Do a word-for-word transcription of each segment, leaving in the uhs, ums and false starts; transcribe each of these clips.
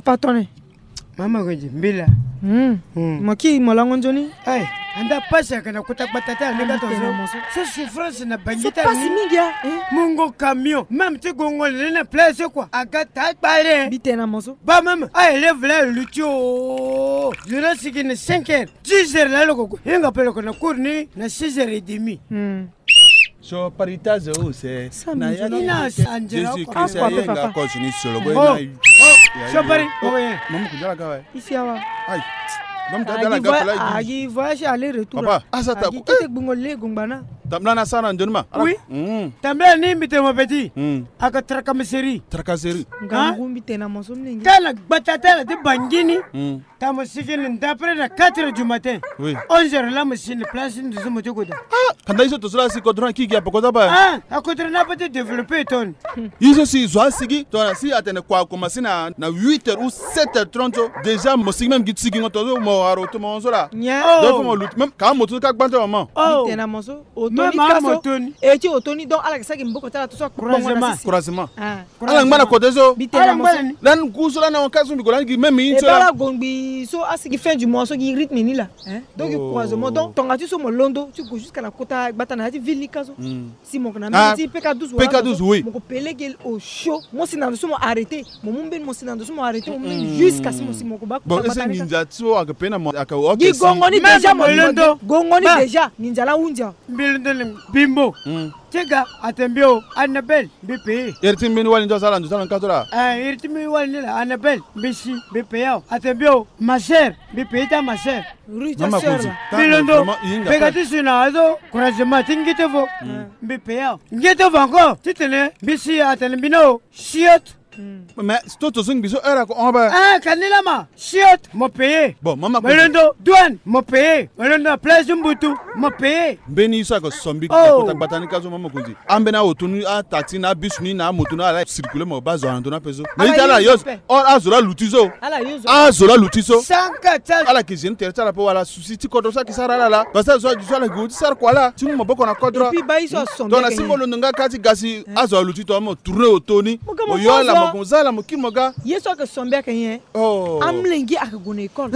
Patone. Mama Konzi, mbila. Hmm. Hmm. Mo ki mo lango nzoni. Ai, anda pasi ayeke na kota gbata ti ala ni ka tongaso. So souffrance na Bangui ti ala ni. Pasi mingi a. Mungo camion même ti gongo na ni na place quoi, aga taa kpale. Mbi tene na mo so. Ba même a élève la aluti o. Zo ni asigi na cinq heures, dix heures laa lo ko gue. Hinga pe lo ko na cours ni na six heures et demie. Hmm. So pari taze use. Na ya ni na sanjela. Jésus Christ ayenga kozo ni solo. Oh. So pari. Mama kujala kawa. Isi awa. Ai. Mama kujala kawa. Agi voyage aller retour. Papa, asa ta. Agi kete gbungo le gungbana. Tambla na sara ndonima. Oui. Tambla ni mbi tene mo petit. Aka tracasserie. Tracasserie. Ngangu mbi tene na mo so mlenge. Tala gbata tala ti Bangui ni. Tamo sigi ni d'après na quatre heures du matin. Oui. Onze heures la mo si ni place ni nduzu mo ti kota. Ah, kanda iso to so la si kodro na kiki ape kota ba. Ah, akodro na ape ti développer ton. Iso si zo asigi to na si atene kua akomanse na na huit heures ou sept heures trente. Déjà mo sigi même gi sigingo to so mo wara oto mo zo la. Donc fo mo luti même ka moto ka gbanta maman. Oh. Tena mo so. Oto ni kaso. E ti oto ni donc ala ke saki mboko ti ala to so akubongo na sisi. Croisement. Ala ngba na kote so. Lani ku so lani ahon ka so mbi ko lani gi même in so la. Ala gongbi so asigi fin du mois so gi rythme ni la. Donc gi croisement donc tonga ti so mo londo ti go jusqu'à na kota gbata na ya ti ville ni ka so. Si mo ko na mbeni ti peka douze wala peka douze oui mo ko pelege au chaud mo si na ndo so mo arrêter. Mo mu mbeni mo si na ndo so mo arrêter mo mu mbeni jusqu'à si mo si mo ko ba kota gbata ni ka. Bon ese nginza ti so ake pena mo ake gi gongo ni déjà mo londo gongo ni déjà nginza la hundia. Mbi londo ni bimbo. Ti ga ate mbi o Annabelle mbi peye. Iri ti mbeni wali nzo asara nzo asara nkato la. Eh, iri ti mbeni wali ni la Annabelle mbi si mbi peye o. Ate mbi o ma sœur mbi peye ti ama sœur. Rue ta sœur la. Mbi londo peka ti si na azo croisement ti ngete vo. Mbi peye o ngete vo encore titene mbi si atene mbi na o siot. Mais toto so ngbi so heure ako hon ape. Ah, ka ni lama siot mo peye. Bon mama mo londo douane mo peye mo londo na place ti mbutu mo peye. Mbeni so ako sombi na kota gbata ni ka so mama konzi. Ambeni aoto ni ataxi na abus ni na amoto ni ala circuler mo baa zo na ndo ni ape so. Mais ita ala yo so. Or azo la luti so. Azo la luti so. Ala ke gene tere ti ala ape wala souci ti kodro so ayeke sara ala la parce que azo adu so ala ke gue ti sara kua la ti mu maboko na kodro. Tongana si mo londo nga ka ti ga si azo aluti tongana mo tourner oto ni. Mo yo ala mo gue mo za ala mo kiri mo ga. Ye so ayeke sombi ayeke nyen? Amolenge ayeke gue na école.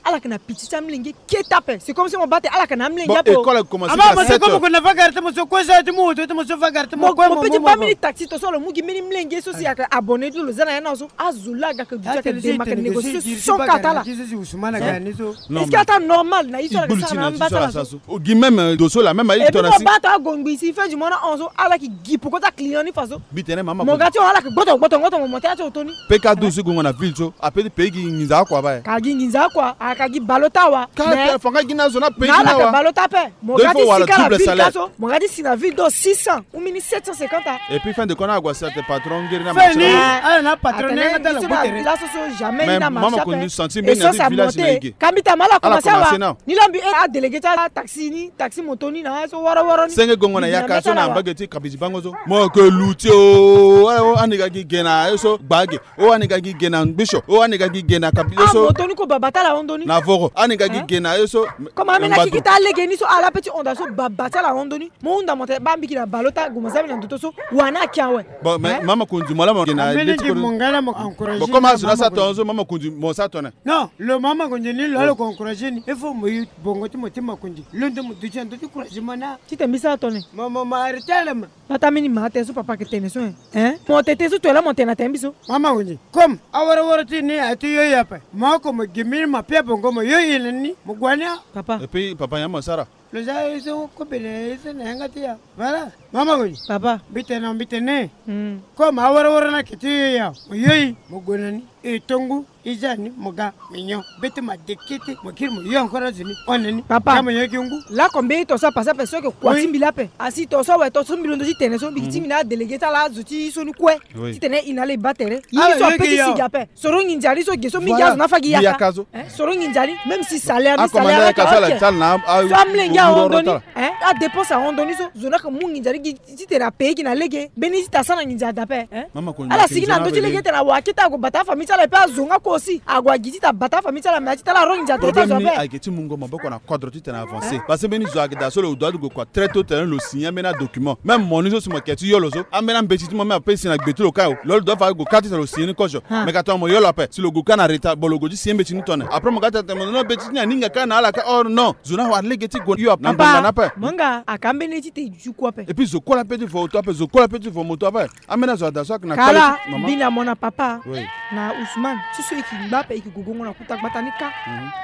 Ala yeke na piti ti amolenge kete ape. C'est comme si mo baa tene ala yeke na amolenge ape. École ayeke commencer na sept heures. Mo so kue so ti mu oto ti mo so vagar ti mo kue mo mo mo mo. Mo pe ti baa mbeni taxi to so lo mu gi mbeni molenge so si ayeke abonné ti lo lo za na ya ni so. Azo laa aga yeke duti ayeke dema ayeke négocier so cent quatre ala. Est-ce que ata normal na ye so ala yeke sara na amba ti ala so? Gi même do so la même aye. Et puis mo baa tongana agongbi si fin du mois na hon so ala yeke gi poko ti aclient ni fa so. Mbi tene mama mo ga ti hon ala yeke gboto gboto ngoto mo mo ti ya ti oto ni. Pe ka do si gongo na ville so ape ti pei gi nginza akua baa. Ka gi nginza akua aka gi balo ti awa. Ka tene fa nga gi na zo na pei gi na awa. Balo ti ape. Mo ga ti si ka na ville ka so mo ga ti si na ville do six cents ou mbeni sept cent cinquante. Et puis fin de compte na ague asi ate patron ngeri na marché ni. Ala na patron ni nga ti ala gbu tere. Laso so jamais ni na marché ape. Mama koni santi mbeni na ti village na ege. Ka mbi tama ala commencer awa. Ni la mbi e adélégué ti ataxi ni taxi moto ni na so wara wara ni. Senge gongo na yaka so na mbage ti kabidi bango so. Mo ke luti o. Ani ga gi ge na ye so gbage. O ani ga gi ge na ngbiso. O ani ga gi ge na kabidi so. Moto ni ko baba ti ala hon ndo ni. Na voro ani ga gi ge na ye so. Comme amena kiki ti alege ni so ala pe ti honda so baba ti ala hon ndo ni. Mo hunda mo tene baa mbi gi na balo ti ague mo za mbi na ndo to so. Wani ake awe. Bon mais mama konzi mo la mo gi na ye ti kodro. Bon comme azo na sa tongaso mama konzi mo sa tongana. Non lo mama konzi ni lo ala ko encourager ni il faut mo yu bongo ti mo ti ma konzi londo mo duti na ndo ti encouragement na. Ti tene mbi sa tongana. Mo mo ma arrêter ala ma. Bata mbeni ma tene so papa yeke tene so. Mo tete so to la mo tene na tene mbi so. Mama konzi comme awara wara ti ni aye ti yo ye ape. Mo oko mo gi mbeni ma pia bongo mo yo ye na ni mo gue na ni. Papa. Et puis papa nyen mo sara. Lo za ye so kobe na ye so na yanga ti ya. Voilà. Mama konzi. Papa. Mbi tene mbi tene. Comme awara wara ni ayeke ti yo ya mo yo ye mo gue na ni. E tongu. E za ni mo ga mignon. Be ti ma dekete mo kiri mo yo encore azo ni hon na ni. Papa. Za mo yo gi ngu. Lako mbeni to so apase ape so ayeke kua ti mbi la ape. Asi to so awe to so mbi londo ti tene so mbi gi ti mbi na adélégué ti ala azo ti so ni kue. Ti tene e na ala e baa tere. Ye so ape ti sigi ape. Soro nginza ni so ge so mingi azo na afa gi yaka. Soro nginza ni même si salaire ni salaire ayeke ok. So amolenge ahon ndo ni. Adépense ahon ndo ni so zo ni ayeke mu nginza ni gi titene apaye gi na lege mbeni ti tasa na nginza adape. Ala sigi na ndö ti lege tene awa akete ague bata afamille. Tala mpe azo nga kue aussi ague agi ti tene abata afamille ti ala, mais ati tala arongi ndia tere ti azo ape. Problème ni ayeke ti mungo maboko na kodro ti tene avancé. Parce que mbeni zo ayeke daa so lo doit ti gue kua très tôt tene lo signer ambeni adocument. Même mo ni so si mo yeke ti yo lo so, ambeni ambeti ti mo même ape si na gbe ti lo kâ o, lo lo doit fa gue kâ ti tene lo signer ni kozo. Mais ka tongana mo yo lo ape, si lo gue kâ na retard, bon, lo gue ti signer mbeti ni tongana. Après mo ga tene tene mo no mbeti ti ni aninga kâ na ala kâ. Or non, zo ni awa lege ti gue yo ape na ngbanga ni ape. Mo nga aka mbeni ti te ju kue ape. Et puis zo kue la peut ti vo auto ape, zo kue la peut ti vo moto ape. Ambeni azo ada so ayeke na kala ti mama. Mbi na mo na papa. Oui. Na Ousmane ti so e yeke ngba ape, e yeke gue gongo na kuta gbata ni kâ.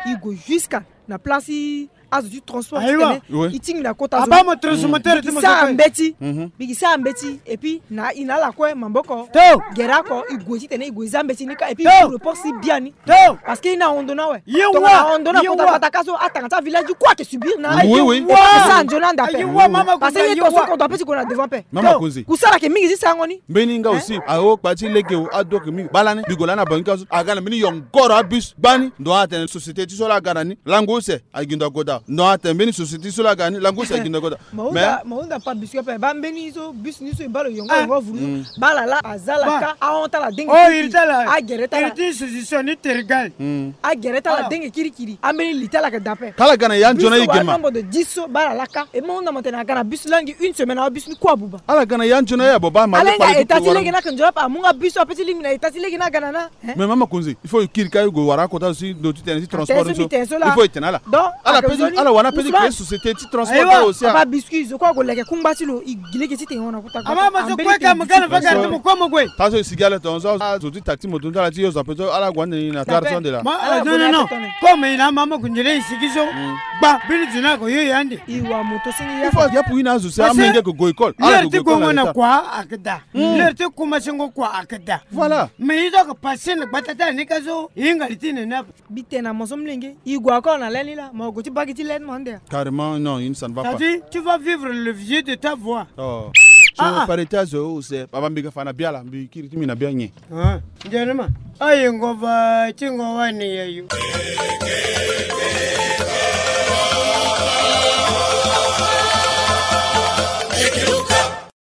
E gue jusqu'à na place ti azo ti transport ti tene e tingbi na kota zo. Aba mo transformateur ti mo sara mbeti. Mbi yeke sara mbeti. Et puis na e na ala kue maboko gere oko, e gue ti tene e gue za mbeti ni kâ. Et puis e gue report si biani. Parce que e na hondo ni awe. Tongana hondo ni na kota gbata kâ so, atanga ti avillage kue ayeke subir na ala. Oui, oui. E sara nzoni anda ape. Parce que ye to so kodro ape ti gue na devant ape. Mama Konzi. Kusala ayeke mingi ti sarango ni. Mbeni nga aussi ahokpa ti lege o, ado ayeke mingi. Baa lani mbi gue lani na bangi kâ so aga na mbeni yongoro abus gbani. Ndo atene société ti so la aga na ni lango use aye gi ndo agoda. Ndo atene mbeni société ti so la aga na ni lango use aye gi ndo agoda. Mais ma hunda pa bus kue ape, baa mbeni so bus ni so e baa lo yongo yongo avuru. Baa ala la aza ala kâ, ahon ti ala denge kirikiri. Agere ti ala. Iri ti solution ni terigal. Agere ti ala denge kirikiri. Ambeni li ti ala ayeke daa ape. Kala aga na ya nzoni aye ge ma. Bus so wara nombre de dix so baa ala la kâ. E ma hunda mo tene aga na bus langi une semaine awe bus ni kue abuba. Ala ga na ya nzoni aye abo baa ma. Ala hinga état ti lege ni ayeke nzoni ape, amu nga bus so ape ti lingbi na état ti lege ni aga na na. Mais mama Konzi, il faut e kiri kâ e gue wara akota zo si ndo ti tene ti transport ni so. Il faut e tene ala. Donc ala pe ti ala wara pe ti créer société ti transport ti ala aussi. Aba biscuit zo kue ague leke kungba ti lo, e gi lege ti tene e hon na kuta gbata. Ama mo so kue ka mo ga na vagara ti mo kue mo gue. Taa so e sigi ala tongaso azo ti taxi moto ti ala ti yo zo ape so ala gue ande ni na gare so ande laa. Non, non, non. Comme e na ama mo gue nzoni e sigi so. Gba mbeni zo ni ako yo e ande. E wa moto senge ya. Il faut ya pour ina azo si amenge ko go école. Ala ko go école na kua akeda. L'heure ti kumasengo kua akeda. Voilà. Mais ye so aka passe na gbata ti ala ni ka so e hinga li ti nene ape. Mbi tene na mo so molenge, e gue encore na laine ni laa, mo gue ti baa gi ti laine mo ande. Carrément non, ça ne va pas. Ça dit, tu vas vivre le vieux de ta voix. Oh. So pare ti azo use baba mbi ga fa na bia laa, mbi kiri ti mbi na bia nyen. Nzoni ma. Aye ngo va ti ngo wani ya yo.